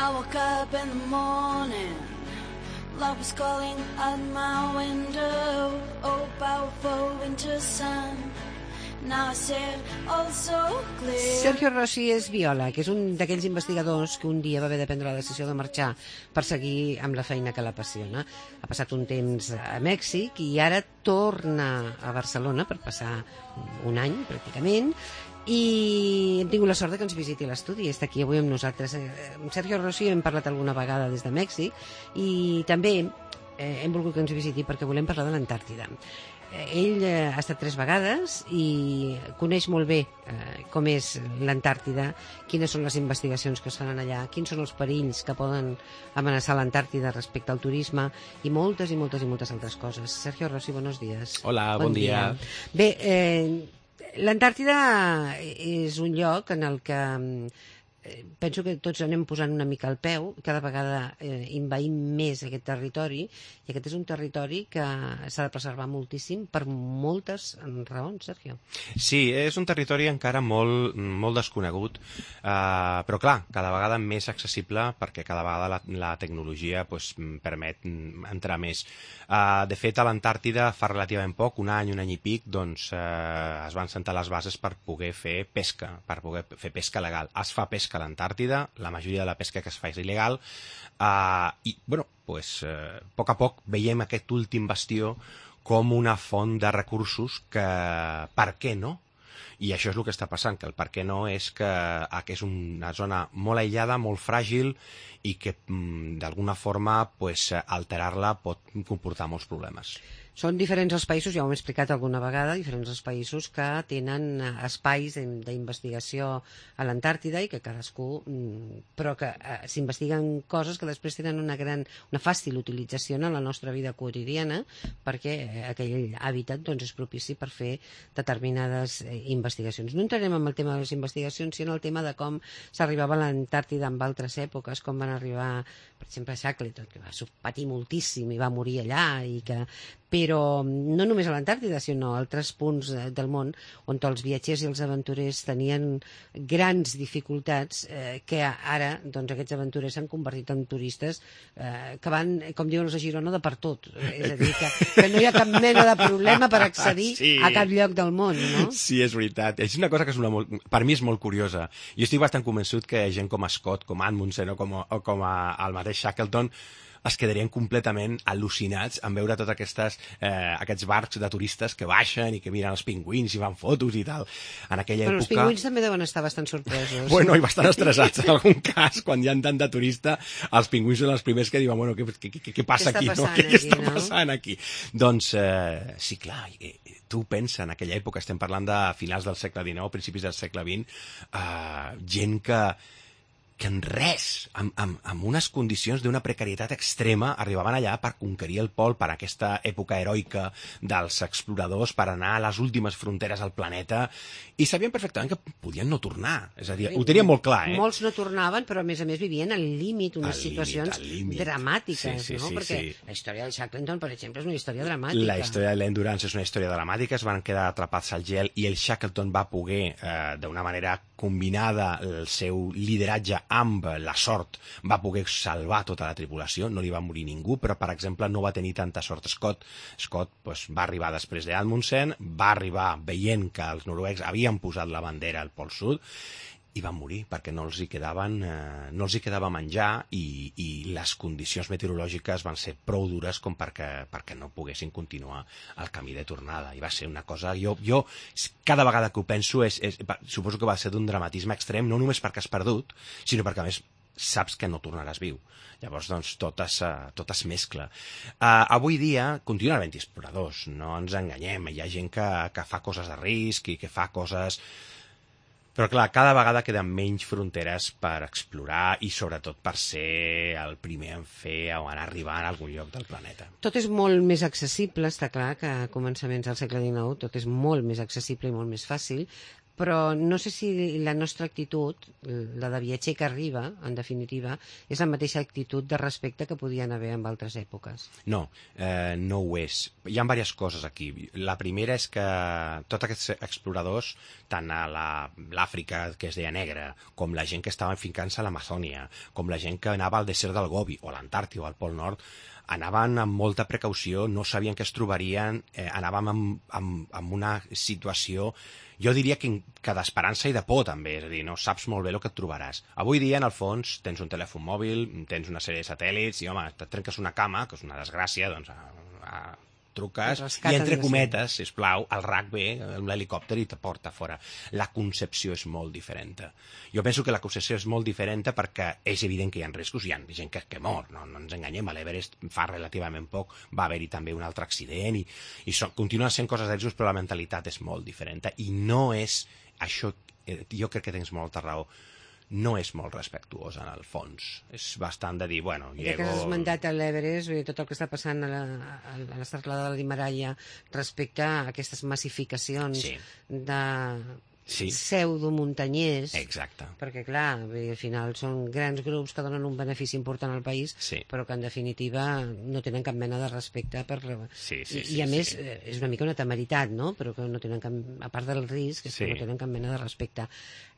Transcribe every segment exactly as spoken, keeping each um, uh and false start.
I woke up in the morning, love was calling at my window, oh powerful winter sun. Now I see it all so clear. Sergio Rossi és biòleg, és un d'aquells investigadors que un dia va haver de prendre la decisió de marxar per seguir amb la feina que l'apassiona. Ha passat un temps a Mèxic i ara torna a Barcelona per passar un any, pràcticament, i hem tingut la sort que ens visiti l'estudi. Està aquí avui amb nosaltres. Amb Sergio Rossi hem parlat alguna vegada des de Mèxic i també eh, hem volgut que ens visiti perquè volem parlar de l'Antàrtida. Ell eh, ha estat tres vegades i coneix molt bé eh, com és l'Antàrtida, quines són les investigacions que es fan allà, quins són els perills que poden amenaçar l'Antàrtida respecte al turisme i moltes i moltes i moltes altres coses. Sergio Rossi, buenos días. Hola, bon, bon dia. dia. Bé, eh, l'Antàrtida és un lloc en el que penso que tots anem posant una mica al peu, cada vegada eh, invaïm més aquest territori, i aquest és un territori que s'ha de preservar moltíssim per moltes raons, Sergio. Sí, és un territori encara molt, molt desconegut, eh, però clar, cada vegada més accessible perquè cada vegada la, la tecnologia pues, permet entrar més. Eh, de fet, a l'Antàrtida fa relativament poc, un any, un any i pic, doncs eh, es van sentar les bases per poder fer pesca, per poder fer pesca legal. Es fa pesca a l'Antàrtida, la majoria de la pesca que es fa és il·legal, uh, i, bueno, pues, uh, a poc a poc veiem aquest últim bastió com una font de recursos que, per què no? I això és el que està passant, que el per què no és que, que és una zona molt aïllada, molt fràgil, i que d'alguna forma pues, alterar-la pot comportar molts problemes. Són diferents els països, ja ho hem explicat alguna vegada, diferents els països que tenen espais d'investigació a l'Antàrtida i que cadascú, però que eh, s'investiguen coses que després tenen una gran, una fàcil utilització en la nostra vida quotidiana, perquè aquell hàbitat doncs, és propici per fer determinades eh, investigacions. No entrarem en el tema de les investigacions, sinó el tema de com s'arribava a l'Antàrtida en altres èpoques, com van arribar, per exemple, Shackleton, que va patir moltíssim i va morir allà, i que però no només a l'Antàrtida, sinó a altres punts del món on els viatgers i els aventurers tenien grans dificultats eh, que ara doncs, aquests aventurers s'han convertit en turistes eh, que van, com diuen els de Girona, de per tot. És a dir, que, que no hi ha cap mena de problema per accedir sí. a cap lloc del món, no? Sí, és veritat. És una cosa que és una molt, per mi és molt curiosa. Jo estic bastant convençut que gent com Scott, com Amundsen o com, o com a, el mateix Shackleton es quedarien completament al·lucinats en veure tots aquestes, eh, aquests barcs de turistes que baixen i que miren els pingüins i fan fotos i tal. En aquella Però època... els pingüins també deuen estar bastant sorpresos. Bueno, i bastant estressats en algun cas, quan hi ha tant de turista, els pingüins són els primers que diuen, bueno, què, què, què, què passa aquí, no? Què aquí, està no? passant aquí? Doncs, eh, sí, clar, eh, tu pensa, en aquella època, estem parlant de finals del segle dinou, principis del segle vint, eh, gent que que en res, amb, amb, amb unes condicions d'una precarietat extrema, arribaven allà per conquerir el pol, per aquesta època heroica dels exploradors, per anar a les últimes fronteres del planeta, i sabien perfectament que podien no tornar. És a dir, ho tenien molt clar, eh? Molts no tornaven, però a més a més vivien al límit, unes situacions dramàtiques, sí, sí, no? Sí, Perquè sí. la història de Shackleton, per exemple, és una història dramàtica. La història de l'Endurance és una història dramàtica, es van quedar atrapats al gel i el Shackleton va poder, eh, d'una manera combinada, el seu lideratge amb la sort, va poder salvar tota la tripulació, no li va morir ningú, però, per exemple, no va tenir tanta sort Scott. Scott pues, va arribar després d'Amundsen, va arribar veient que els noruecs havien posat la bandera al Pol Sud, i van morir perquè no els hi quedaven, eh, no els hi quedava menjar i, i les condicions meteorològiques van ser prou dures com perquè, perquè no poguessin continuar el camí de tornada. I va ser una cosa... Jo, jo cada vegada que ho penso, és, és, suposo que va ser d'un dramatisme extrem, no només perquè has perdut, sinó perquè, a més, saps que no tornaràs viu. Llavors, doncs, tot es, tot es mescla. Uh, avui dia continuen havent exploradors, no ens enganyem. Hi ha gent que, que fa coses de risc i que fa coses... Però, clar, cada vegada queden menys fronteres per explorar i, sobretot, per ser el primer en fer o en arribar a algun lloc del planeta. Tot és molt més accessible, està clar que a començaments del segle dinou tot és molt més accessible i molt més fàcil, però no sé si la nostra actitud, la de viatger que arriba, en definitiva, és la mateixa actitud de respecte que podien haver en altres èpoques. No, eh, no ho és. Hi ha diverses coses aquí. La primera és que tots aquests exploradors, tant a l'Àfrica, que es deia negra, com la gent que estava fincant-se a l'Amazònia, com la gent que anava al desert del Gobi, o a l'Antàrtida o al Pol Nord, anaven amb molta precaució, no sabien què es trobarien, eh, anàvem amb, amb, amb una situació, jo diria que, que d'esperança i de por també, és a dir, no saps molt bé el que et trobaràs. Avui dia, en el fons, tens un telèfon mòbil, tens una sèrie de satèl·lits, i home, et trenques una cama, que és una desgràcia, doncs a, a, truques, i entre cometes, sisplau, el R A C ve amb l'helicòpter i te porta fora. La concepció és molt diferent. Jo penso que la concepció és molt diferent perquè és evident que hi ha riscos, hi ha gent que, que mor, no, no ens enganyem, a l'Everest fa relativament poc va haver-hi també un altre accident, i, i so, continuen sent coses de riscos, però la mentalitat és molt diferent, i no és això, jo crec que tens molta raó, no és molt respectuós en el fons. És bastant de dir, bueno, llego... Ja que has esmentat a l'Everest, tot el que està passant a la, a la serralada de l'Himalaya respecte a aquestes massificacions sí. de sí. pseudomuntanyers. Exacte. Perquè, clar, al final són grans grups que donen un benefici important al país, sí. però que en definitiva no tenen cap mena de respecte per... Sí, sí, I, sí, i a sí, més, sí. és una mica una temeritat, no? Però que no tenen cap... A part del risc, és sí. que no tenen cap mena de respecte.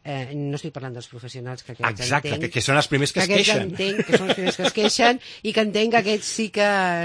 Eh, no estic parlant dels professionals que aquests Exacte, entenc, que, que són els primers que, que es queixen. Entenc, que són els primers que es queixen i que entenc que aquests sí que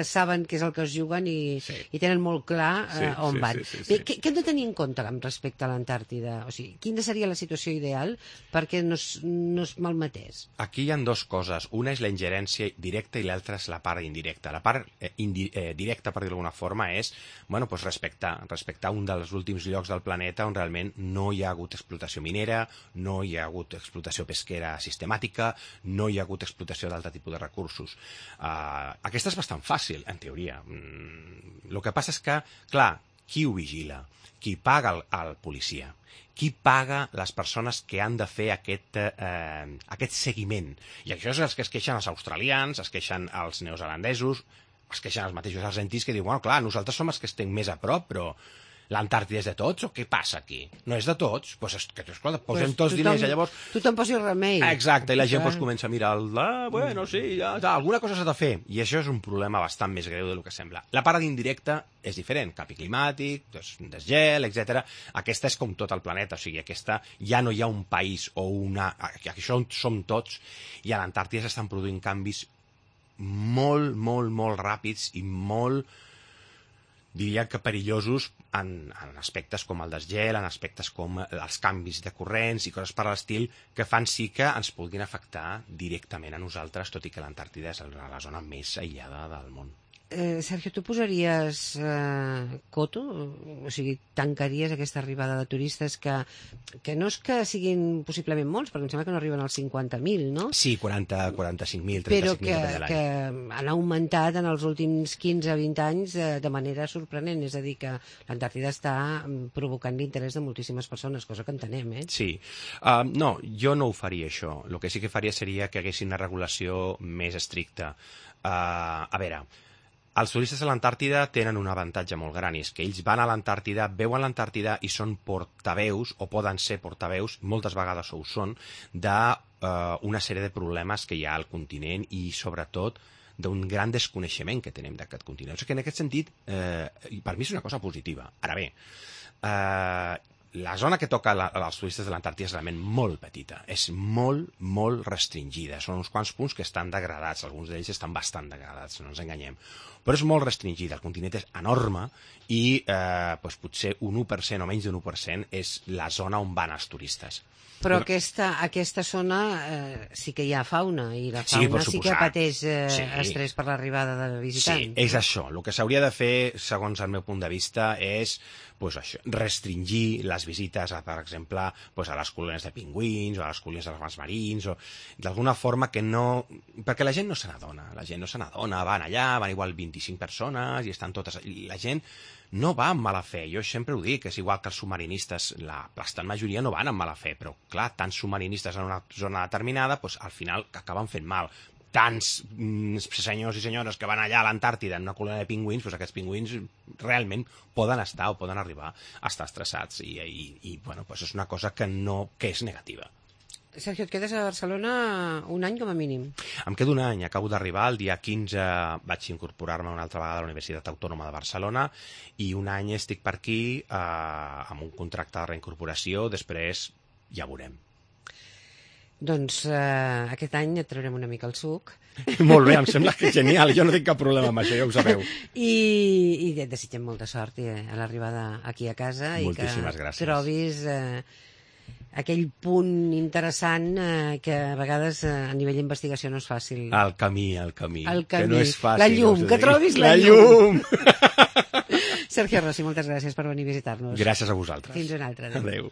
saben què és el que es juguen i, sí. i tenen molt clar eh, sí, on sí, van. Sí, sí, sí, Bé, sí. Què, què hem de tenir en compte amb respecte a l'Antàrtida? O sigui, quina seria la situació ideal perquè no es, no es malmetés? Aquí hi ha dues coses. Una és la ingerència directa i l'altra és la part indirecta. La part eh, indi eh, directa, per dir-ho d'alguna forma, és bueno, pues respectar, respectar un dels últims llocs del planeta on realment no hi ha hagut explotació minera, no hi ha hagut explotació pesquera sistemàtica, no hi ha hagut explotació d'altre tipus de recursos. Uh, aquesta és bastant fàcil, en teoria. Mm, el que passa és que, clar, qui ho vigila? Qui paga el, el policia? Qui paga les persones que han de fer aquest, eh, aquest seguiment? I això és els que es queixen els australians, es queixen els neozelandesos, es queixen els mateixos argentins que diuen, bueno, clar, nosaltres som els que estem més a prop, però l'Antàrtida és de tots o què passa aquí? No és de tots? Doncs pues es, que, esclar, posem pues tots tothom, diners i llavors... Tothom posi remei. Exacte, i la gent pues, comença a mirar el... Ah, bueno, sí, ja, ja, alguna cosa s'ha de fer. I això és un problema bastant més greu del que sembla. La part indirecta és diferent. Canvi climàtic, des, desgel, etcètera. Aquesta és com tot el planeta. O sigui, aquesta ja no hi ha un país o una... Això som tots. I a l'Antàrtida s'estan produint canvis molt, molt, molt ràpids i molt... diria que perillosos en, en aspectes com el desgel, en aspectes com els canvis de corrents i coses per l'estil que fan sí que ens puguin afectar directament a nosaltres, tot i que l'Antàrtida és la zona més aïllada del món. Eh, Sergio, tu posaries eh, coto? O sigui, tancaries aquesta arribada de turistes que, que no és que siguin possiblement molts, perquè em sembla que no arriben als cinquanta mil, no? Sí, quaranta, quaranta-cinc mil, però trenta-cinc mil que, de que l'any. han augmentat en els últims quinze a vint anys eh, de manera sorprenent, és a dir, que l'Antàrtida està provocant l'interès de moltíssimes persones, cosa que entenem, eh? Sí. Uh, no, jo no ho faria, això. El que sí que faria seria que haguessin una regulació més estricta. Uh, a veure... Els turistes a l'Antàrtida tenen un avantatge molt gran, i és que ells van a l'Antàrtida, veuen l'Antàrtida i són portaveus, o poden ser portaveus, moltes vegades ho són, d'una sèrie de problemes que hi ha al continent i, sobretot, d'un gran desconeixement que tenim d'aquest continent. O sigui que, en aquest sentit, eh, per mi és una cosa positiva. Ara bé, eh, la zona que toca la, als turistes de l'Antàrtida és realment molt petita, és molt, molt restringida. Són uns quants punts que estan degradats, alguns d'ells estan bastant degradats, no ens enganyem. Però és molt restringida, el continent és enorme i eh, doncs potser un u per cent o menys d'un u per cent és la zona on van els turistes. Però aquesta, aquesta zona eh, sí que hi ha fauna, i la fauna sí, sí que pateix eh, sí. estrès per l'arribada de visitants. Sí, és això. El que s'hauria de fer, segons el meu punt de vista, és pues, això, restringir les visites, a, per exemple, pues, a les colònies de pingüins o a les colònies dels marins, o d'alguna forma que no... Perquè la gent no se n'adona, la gent no se n'adona, van allà, van igual vint-i-cinc persones i estan totes... I la gent no va amb mala fe, jo sempre ho dic, és igual que els submarinistes, la bastant majoria no van amb mala fe, però clar, tants submarinistes en una zona determinada, doncs, al final acaben fent mal. tants mm, senyors i senyores que van allà a l'Antàrtida en una colònia de pingüins, doncs aquests pingüins realment poden estar o poden arribar a estar estressats i, i, i bueno, doncs és una cosa que, no, que és negativa. Sergio, et quedes a Barcelona un any com a mínim. Em quedo un any, acabo d'arribar, el dia quinze vaig incorporar-me una altra vegada a la Universitat Autònoma de Barcelona i un any estic per aquí eh, amb un contracte de reincorporació, després ja veurem. Doncs eh, aquest any et traurem una mica el suc. Molt bé, em sembla que és genial, jo no tinc cap problema amb això, ja ho sabeu. I, i et desitgem molta sort eh, a l'arribada aquí a casa. Moltíssimes i que gràcies. trobis eh, aquell punt interessant eh, que a vegades eh, a nivell d'investigació no és fàcil. El camí, el camí, el camí. que no és fàcil. La llum, no que trobis la, la llum. llum. Sergio Rossi, moltes gràcies per venir a visitar-nos. Gràcies a vosaltres. Fins una altra. Adéu.